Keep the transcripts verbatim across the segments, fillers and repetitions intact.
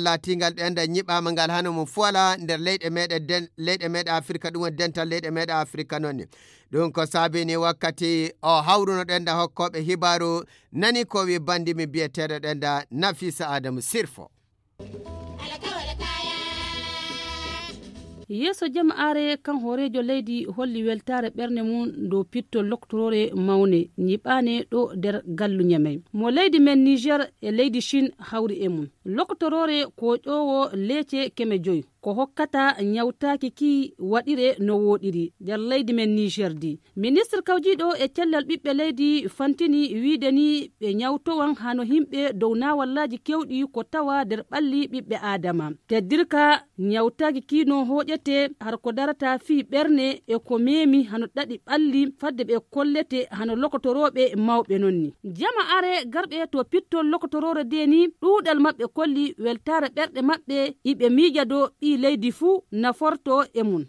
laatingal ɗenda ñiɓaama ngal hano mum fuwala nder leyɗe meɗen den-, leyɗe meɗen Afirka, ɗum woni dental leyɗe meɗen Afirka noon ni. Ɗum ko saabini wakkati o hawruno ɗenda hokkooɓe hibaaru nani ko wi bandi mi biyeteeɗo ɗenda Nafisa Adamu Sirfo. Yeeso jamaare kan hooreejo leydi holli weltaare ɓernde mum dow pittol loktoroore mawne ñiɓaane ɗo nder gallu Ñamey. Mo leydi men Niger e leydi Chine hawri e mum. Loktoroore ko ƴoowo leece keme joyi. Ko hokkata ñawtaaki ki waɗire no wooɗiri nder leydi men Niger di. Ministre kawjiiɗo e cellal ɓiɓɓe leydi fantini wiide ni ɓe ñawtowan hano yimɓe dow naawallaaji kewɗi ko tawa nder ɓalli ɓiɓɓe Aadama. Teddirka ñawtaaki kii no hooƴete har ko darata fii ɓerne e ko meemi hano ɗaɗi ɓalli fadde ɓe kollete hano lokotorooɓe mawɓe non ni. Jama are garɓe to pittol lokotoroore de ni ɗuuɗal maɓɓe kolli weltaare ɓerɗe maɓɓe iɓe miija do ɓii leydi fuu naforto e mum.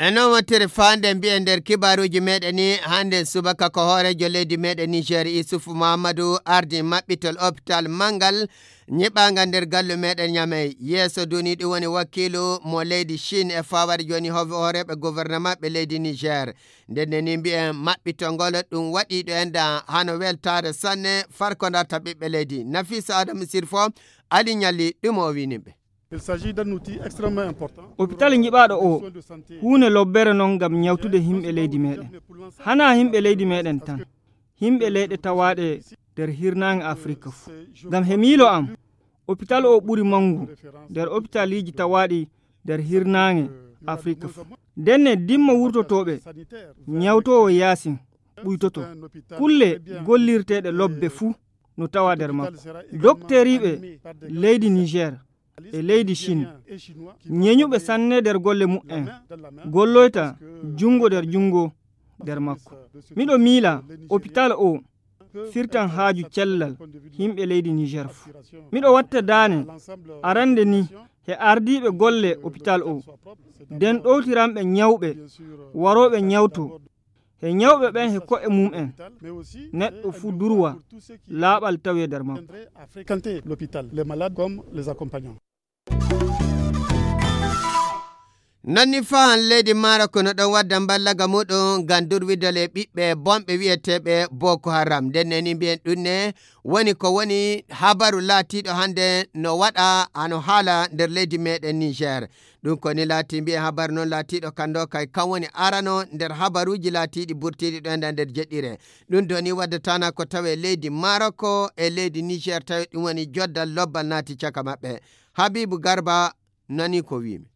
E noon wontere faande mbiyen nder kibaaruuji meɗen ni, hannde subaka ko hooreejo leydi meɗen Niger Isufu Muhammadu ardi maɓɓitol hôpital manngal ñiɓaanga nder gallu meɗen Ñamey. Yeeso duni ɗum woni wakiilu mo leydi Chine e fawaade jooni ho-, hooreeɓe gouvernement ɓe leydi Niger. Nden ne ni mbiyen maɓɓitol ngol ɗum waɗiiɗo en da hano weltaare sanne farko darta ɓiɓɓe leydi. Nafisa Adamu Sirfo, Ali Ñalli, ɗum o winimɓe. Il s'agit d'un outil extrêmement important. Hôpital nyiɓaaɗo o, huunde lobbere non ngam ñawtude yimɓe leydi meɗen. Hana yimɓe leydi meɗen tan, yimɓe leyɗe tawaaɗe nder hirnaange Afirka fuu. Ngam he miilo am, hôpital o ɓuri manngu nder hôpitaliji tawaaɗi nder hirnaange Afirka fuu. Ndenne dimma wurtotooɓe, ñawtoowo yaasin ɓuytoto. Kulle gollirteeɗe lobbe fuu no tawa nder makko. Dokteriiɓe leydi Niger e leydi Chine, ñeñuɓe sanne nder golle mu'en, golloyta junngo nder junngo nder makko. Miɗo miila hôpital o firtan haaju cellal yimɓe leydi Niger fuu. Miɗo watta daane arande ni he ardiiɓe golle hôpital o, nden ɗowtiranɓe ñawɓe warooɓe ñawto he ñawɓe ɓen he ko'e mum'en. Neɗɗo fuu durwa laaɓal tawe nder makko. Fréquenter l'hôpital, les malades comme les accompagnants. Non ni fahan leydi Maroc no ɗon wadda mballaga muɗum ngam durwidal e ɓiɓɓe bonɓe wi'eteeɓe Boko Haram. Nden ne ni mbiyen ɗum ne woni ko woni habaru laatiiɗo hannde no waɗa hano haala nder leydi meɗen Niger. Ɗum ko ni laati mbiyen habaru noon laatiiɗo kan ɗo kay kan woni arano nder habaruuji laatiiɗi burtiiɗi ɗo enda nder jeɗɗire. Ɗum ɗo ni waddatana ko tawe leydi Maroc e leydi Niger tawi ɗum woni joddal lobbal naati caka maɓɓe. Habibu Garba nani ko wiimi.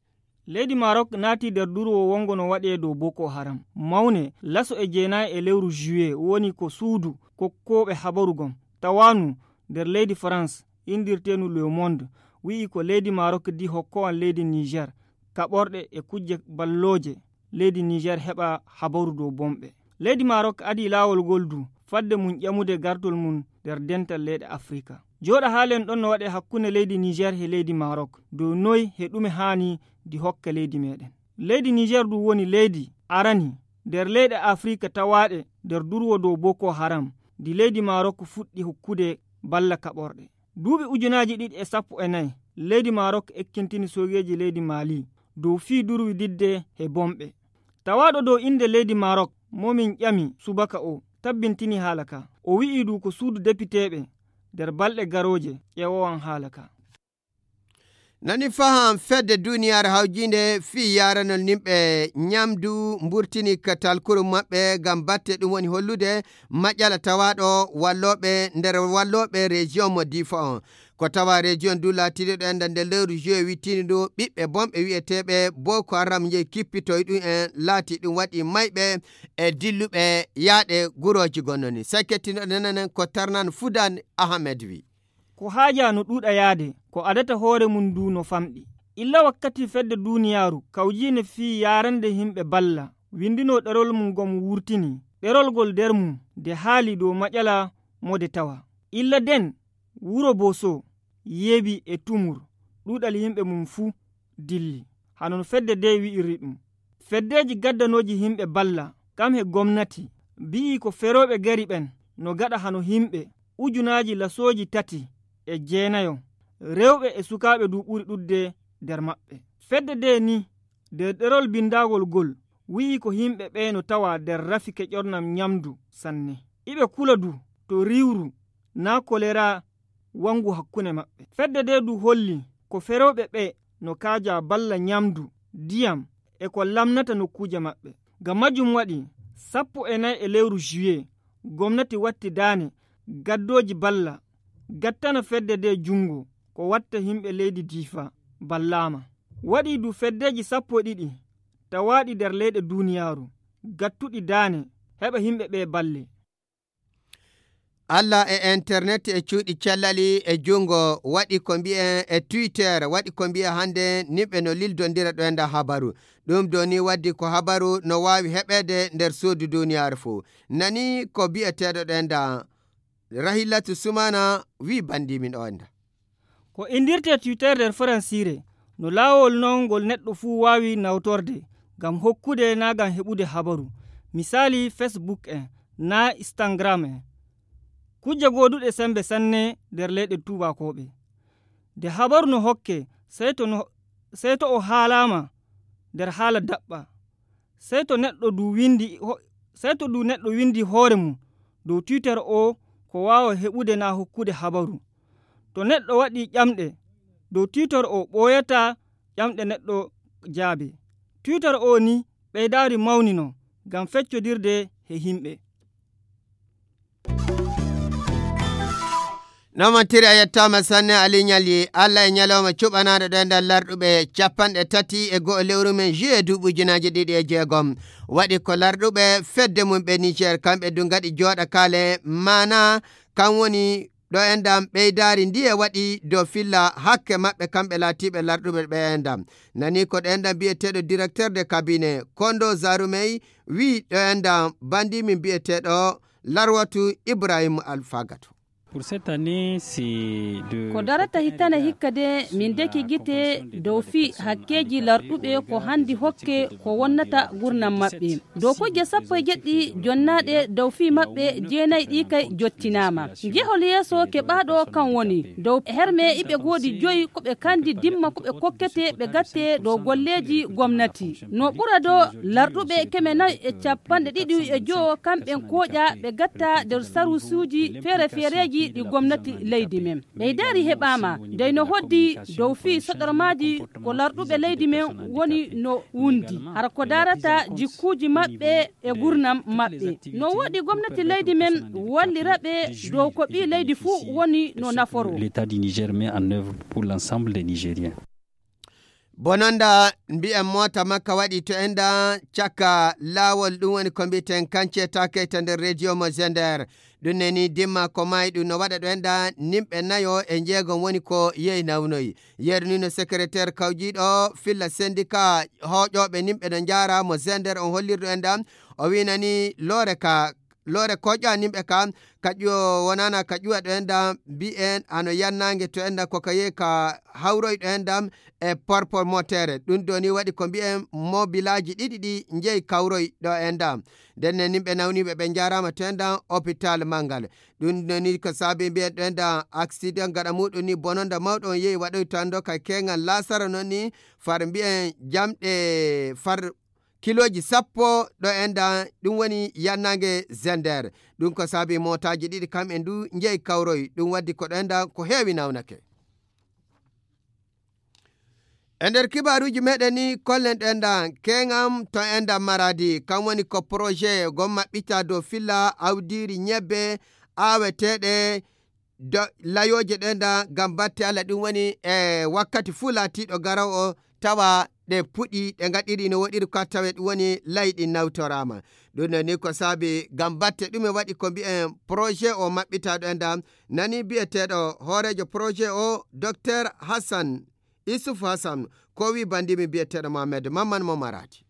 Leydi Maroc naati nder durwo wongo no waɗe dow Boko Haram. Mawne laso e jeenayi e lewru juillet woni ko suudu kokkooɓe habaru gom. Tawanu nder leydi France indirteenu Le Monde wi'i ko leydi Maroc di hokkowan leydi Niger kaɓorɗe e kujje ballooje leydi Niger heɓa habaru dow bonɓe. Leydi Maroc adii laawol ngol du fadde mum ƴamude gartol mum nder dental leyɗe Afrika. Jooɗa haalen ɗon no waɗe hakkunde leydi Niger he leydi Maroc dow noy he ɗume haani di hokka leydi meɗen. Leydi Niger du woni leydi arani nder leyɗe Afrika tawaaɗe nder durwo dow Boko Haram di leydi Maroc fuɗɗi hokkude balla kaɓorɗe. Duuɓi ujunaaji ɗiɗi e sappo e nayi, leydi Maroc ekkintini soogeeji leydi Mali dow fii durwididde he bonɓe. Tawaaɗo dow innde leydi Maroc mo min ƴami subaka o tabbintini haala ka. O wi'i du ko suudu depiteeɓe nder balɗe garooje ƴeewowan haala ka. Nani faham fedde duniyaaru hawjiinde fii yaaranol nimɓe ñamdu mburtini ka talkuru maɓɓe ngam batte ɗum woni hollude maƴala tawaaɗo wallooɓe nder wallooɓe région mo Difa on. Ko tawa région du laatiiɗo ɗo enda nder lewru juillet wittini ɗo ɓiɓɓe bonɓe wi'eteeɓe Boko Haram njehi kippitoy ɗum en laati ɗum waɗi mayɓe e dilluɓe yaaɗe gurooji gonnoni. Sakettino ɗo nanen ko Tarnan Fudan Ahmed wi. Ko haajaa no ɗuuɗa yaade, ko adata hoore mum nduu no famɗi. Illa wakkati fedde duuniyaaru kawjiinde fii yaarande yimɓe balla, winndinoo ɗerol mum ngam wurtini. Ɗerol ngol nder mum nde haali dow maƴala mo nde tawa. Illa nden, wuro Boso, Yeebi e Tumur, ɗuuɗal yimɓe mum fuu dilli. Hano no fedde ndee wi'iri ɗum. Feddeeji gaddanooji yimɓe balla, kam he gomnati, mbi'ii ko ferooɓe gari ɓen no gaɗa hano himɓe ujunaaji lasooji tati e jeenayo, rewɓe e sukaaɓe du ɓuri ɗuɗde nder maɓɓe. Fedde de ni, nder ɗerol binndagol gol, wi'i ko himɓe ɓe no tawa nder rafi keƴornam ñamdu sanne. Iɓe kula du to riwru naa kolera wangu hakkunde maɓɓe. Fedde de du holli ko ferewɓe ɓe no kaaja balla ñamdu, diyam e ko lamnata nokkuuje maɓɓe. Ngam majjum waɗi sappo e nayi e lewru juillet, gomnati watti daane gaddooji balla, gattana fedde de junngo ko watta himɓe leydi Diifa ballaama. Waɗi du feddeeji sappo e ɗiɗi tawaaɗi nder leyɗe duuniyaaru, gattuɗi daane heɓa himɓe ɓe balle. Allah e internet e cuuɗi cellali e junngo waɗi ko mbi'en e Twitter, waɗi ko mbi'en hannde nimɓe no lildondira ɗo enda habaru. Ɗum do ni waddi ko habaru no waawi heɓeede nder suudu duuniyaaru fuu. Nani ko bi'eteeɗo ɗo enda Rahilatu Sumana wi banndi min o enda. Ko inndirtee Twitter nder Faransiire, no laawol non ngol neɗɗo fuu waawi nawtorde ngam hokkude naa ngam heɓude habaru, misaali Facebook en, naa Instagram en. Kujje gooduɗe sembe sanne nder leyɗe tuubaakooɓe. Nde habaru no hokke, sey to no, sey to o haalaama nder haala daɓɓa. Sey to neɗɗo du windi ho-, sey to du neɗɗo windi hoore mum dow Twitter o ko waawa heɓude naa hokkude habaru. To neɗɗo waɗi ƴamɗe dow Twitter o ɓooyata ƴamɗe neɗɗo jaabe. Twitter o ni ɓeydaari mawnino ngam feccodirde he himɓe. Noon tiri a yettaama sanne Ali Ñalli. Allah e ñalawma cuɓanaaɗo ɗo e nder larɗuɓe capanɗe tati e go'o lewru men juillet duuɓi ujunaaji ɗiɗi e jeegom. Waɗi ko larɗuɓe fedde mum ɓe Niger, kamɓe du ngaɗi jooɗa kaale maana, kan woni ɗo endam ɓeydaari ndiye waɗi dow filla hakke maɓɓe kamɓe laatiiɓe larɗuɓe ɓe endam. Nani ko ɗo endam biyeteeɗo directeur de cabinet Kondo Zarumey wi ɗo endam bandi min biyeteeɗo Larwatu Ibrahim Alfagato. Pour cette année, c'est de Ko darata hitande hikka de, min deki gite dow fii hakkeeji larɗuɓe ko handi hokke ko wonnata gurnam maɓɓe. Dow kujje sappo e jeɗɗi jonnaaɗe dow fii maɓɓe jeenayi ɗi kay jottinaama. Jehol yeeso keɓaaɗo kan woni dow herme iɓe goodi joyi ko ɓe kandi dimma ko ɓe kokkete ɓe gatte dow golleeji gomnati. No ɓura do larɗuɓe keme nayi e capanɗe ɗiɗi e jowo kamɓen kooƴa ɓe gatta nder sarusuuji feere-feereeji ɗi gomnati leydi men. Ɓeydaari heɓaama, dey no hoddi dow fii soɗormaaji ko larɗuɓe leydi men woni no wundi. Hara ko darata jikkuuji maɓɓe e gurnam maɓɓe. No woɗi gomnati leydi men wallira ɓe dow ko ɓii leydi fuu woni no naforo. L'État du Niger met en œuvre pour l'ensemble des Nigériens. Bononda mbi'en moota makka waɗi to enda caka laawol, ɗum woni ko mbi'eten kance takeyta nder rediyo mo Zender. Ɗum neni dimma ko maayi ɗum no waɗa ɗo enda nimɓe nayo e njeegom woni ko yehi nawnoyi. Yeru ni no secrétaire kawjiiɗo filla syndicat hooƴooɓe nimɓe no njaara mo Zender on hollirɗo enda o winani loore ka loore koƴa nimɓe ka ka ƴuwo wonana ka ƴuwa ɗo enda mbi'en ano yannange to enda ko ka yehi ka hawroy ɗo enda e porpo motere. Ɗum do ni waɗi ko mbi'en mobilaaji ɗiɗi ɗi njehi kawroy ɗo enda. Nden ne nimɓe nawniiɓe ɓe njaaraama to enda hôpital Mangal. Ɗum do ni ko saabi mbi'en ɗo enda accident gaɗa muɗum ni bononda mawɗo on yehi waɗoy to ando ka keŋal laasara non ni far mbi'en jamɗe far kilooji sappo ɗo enda ɗum woni yannange Zender. Ɗum ko saabi mootaaji ɗiɗi kam en du njehi kawroy. Ɗum waddi ko ɗo enda ko heewi nawnake. E nder kibaaruuji meɗen ni kollen ɗo enda keŋam to enda Maradi, kam woni ko projet gom maɓɓita dow filla awdiiri ñebbe aaweteeɗe do-, layooje ɗo enda ngam batte Allah, ɗum woni e wakkati fuu laatiiɗo garaw o tawa ɗe puɗi, ɗe ngaɗiri no woɗiri ka tawe ɗum woni layi ɗin nawtoraama. Ɗum ɗo ni ko saabi ngam batte ɗume waɗi ko mbi'en projet o maɓɓita ɗo enda nani bi'eteeɗo hooreejo projet o Docteur Hassan Isuf Hassan ko wi bandimi bi'eteeɗo Mohamed Mamman mo Maradi.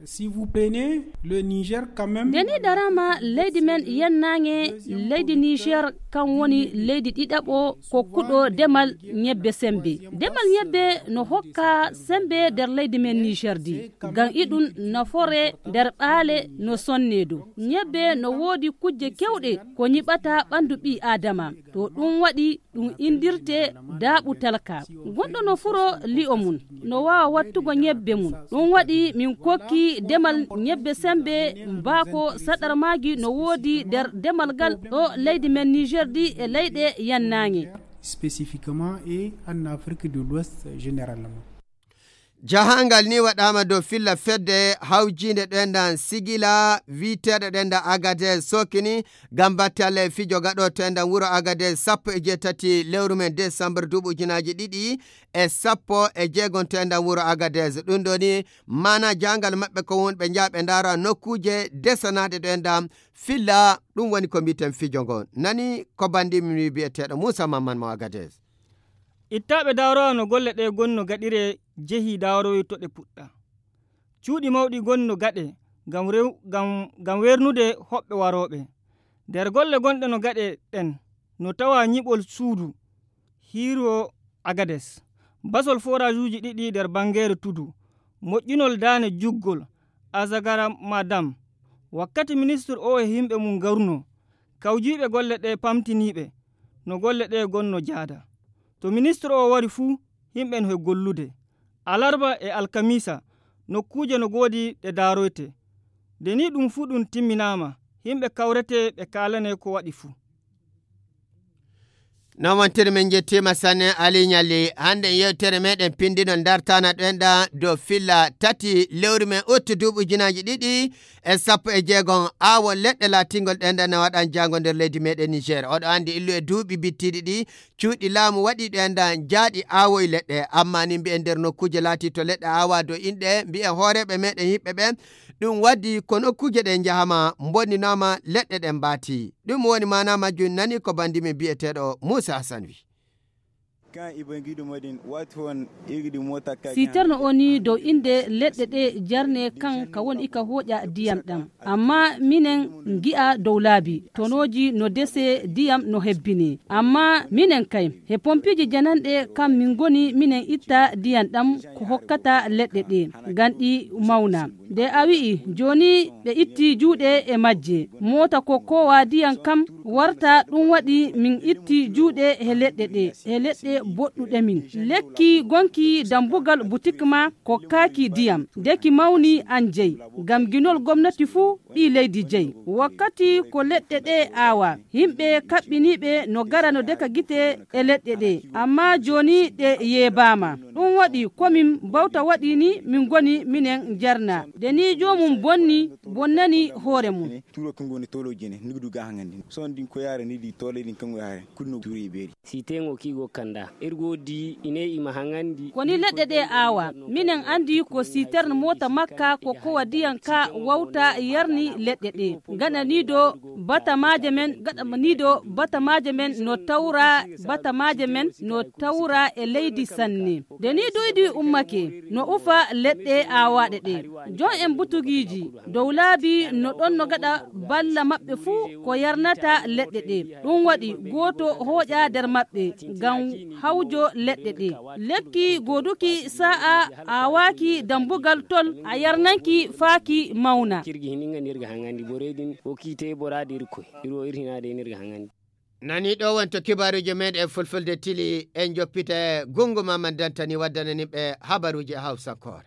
Si vous prenez le Niger quand même, nde ni darama leydi men yennaange, leydi Niger kan woni leydi ɗiɗaɓo ko kuɗo demal ñebbe sembe. Demal ñebbe no hokka sembe nder leydi men Niger di. Ngam iɗum nafore nder ɓaale no sonne do. Ñebbe no woodi kujje kewɗe ko ñiɓata ɓandu ɓii Adama. To ɗum waɗi ɗum indirte daaɓu talka. Gonɗo no furo li'o mum, no waawa wattugo ñebbe mum. Ɗum waɗi min kokki demal ñebbe sembe mbaako saɗar maagi no woodi nder demal gal ɗo leydi men Niger di e leyɗe yannaange. Spécifiquement et en Afrique de l'Ouest généralement. Jahangal ni waɗaama dow filla fedde hawjiinde ɗoendan sigila wiiteeɗo ɗoendan Agadez sokini ngam batte Allah e fijo gaɗo toendan wuro Agadez sappo e jeetati lewru men décembre duuɓi ujunaaji ɗiɗi e sappo e jeegon toendan wuro Agadez. Ɗum ɗo ni maana jahangal maɓɓe ko wonɓe njaaɓe ndaara nokkuuje desanaaɗe ɗoendan filla ɗum woni ko mbiiten fijo ngon. Nani ko banndi min wiyeteeɗo Muusa Mamman mo Agadez. Ittaaɓe daarowa no golle ɗe gonni no gaɗire jehi daarowi to ɗe puɗɗa. Cuuɗi mawɗi gonni no gaɗe ngam rew-, ngam, ngam weernude hoɓɓe warooɓe. Nder golle gonɗe no gaɗe ɗen, no tawa ñiɓol suudu hiiro Agades, basol forajuuji ɗiɗi nder banngeere tudu, moƴƴinol daane juggol Azagara Madam. Wakkati ministre o e yimɓe mum ngarunoo, kawjiiɓe golle ɗe pamtiniiɓe no golle ɗe gonno jaada. To ministre o wari fuu, yimɓe no he gollude. Alarba e alkamiisa, nokkuuje no goodi ɗe daaroyte. Nde ni ɗum fuu ɗum timminaama, yimɓe kawrete ɓe kaalane ko waɗi fuu. Noon wontere men njettiima sanne Ali Ñalli. Hannde yewtere meɗen pinndinol ndartana ɗoenɗa dow filla tati lewru men uttu duuɓi ujunaaji ɗiɗi e sappo e jeegom. Aawo leɗɗe laatingol ɗoenɗa na waɗan jaango nder leydi meɗen Niger. Oɗo anndi illu e duuɓi bittiiɗi ɗi cuuɗi laamu waɗi ɗoenɗa jaaɗi aawoy leɗɗe. Amma ni mbi'en nder nokkuuje laati to leɗɗe aawa dow inɗe mbi'en hooreeɓe meɗen yiɓɓe ɓen. Ɗum waddi ko nokkuuje ɗe njahama bonninaama leɗɗe ɗen mbaati. Ɗum woni maana majjum nani ko banndi men bi'eteeɗo Muusa Hassan wi. Siiterno o ni dow innde leɗɗe ɗe jarne kan ka woni ika hooƴa diyam ɗam. Amma minen ngi'a dow laabi, tonooji no dese diyam no hebbini. Amma minen kay, he pompiiji jananɗe kam min ngoni minen itta diyam ɗam ko hokkata leɗɗe ɗe, ngam ɗi mawna. Nde a wi'i, jooni ɓe itti juuɗe e majje. Moota ko kowa diyam kam warta ɗum waɗi min itti juuɗe he leɗɗe ɗe, he leɗɗe boɗɗuɗe min. Lekki gonki dambugal butik ma ko kaaki diyam. Nde ki mawni an jeyi, ngam ginol gomnati fuu ɓii leydi jeyi. Wakkati ko leɗɗe ɗe aawa, yimɓe kaɓɓiniiɓe no gara no deka gite e leɗɗe ɗe. Amma jooni ɗe yeebaama. Ɗum waɗi ko min bawta waɗi ni min ngoni minen jarna. Nde ni joomum bonni, bonnani hoore mum. Turo ko ngoni tolo jene, nigdu ga hangandi. Son din ko yare ni di tole din kango yare. Kunno turi beri. Sitengo kigo kanda. Ergo di ine ima hangandi. Ko ni leɗɗe ɗe aawa. Minen andi ko siterne mota makka ko kowa diyan ka wawta yarni leɗɗe ɗe. Gaɗa ni do batamaaje men, gaɗa ni do batamaaje men no tawra, batamaaje men no tawra e leydi sanne. Nde ni duydi ummake, no ufa leɗɗe aawaaɗe ɗe. Jon en butugiiji, dow laabi no ɗon no gaɗa balla maɓɓe fuu ko yarnata leɗɗe ɗe. Ɗum waɗi gooto hooƴa nder maɓɓe ngam hawjo leɗɗe ɗe. Lekki gooduki sa'a aawaaki dambugal tol a yarnanki faaki mawna. Cirgi hininga nirga hangandi boredin o kiite boraade irkoy. Iro irhinaade nirga hangandi. Nani ɗo wonto kibaaruuji meɗen e fulfulde tili en joppita gungu ma man dantani waddanani ɓe habaruuji e hawsakoore.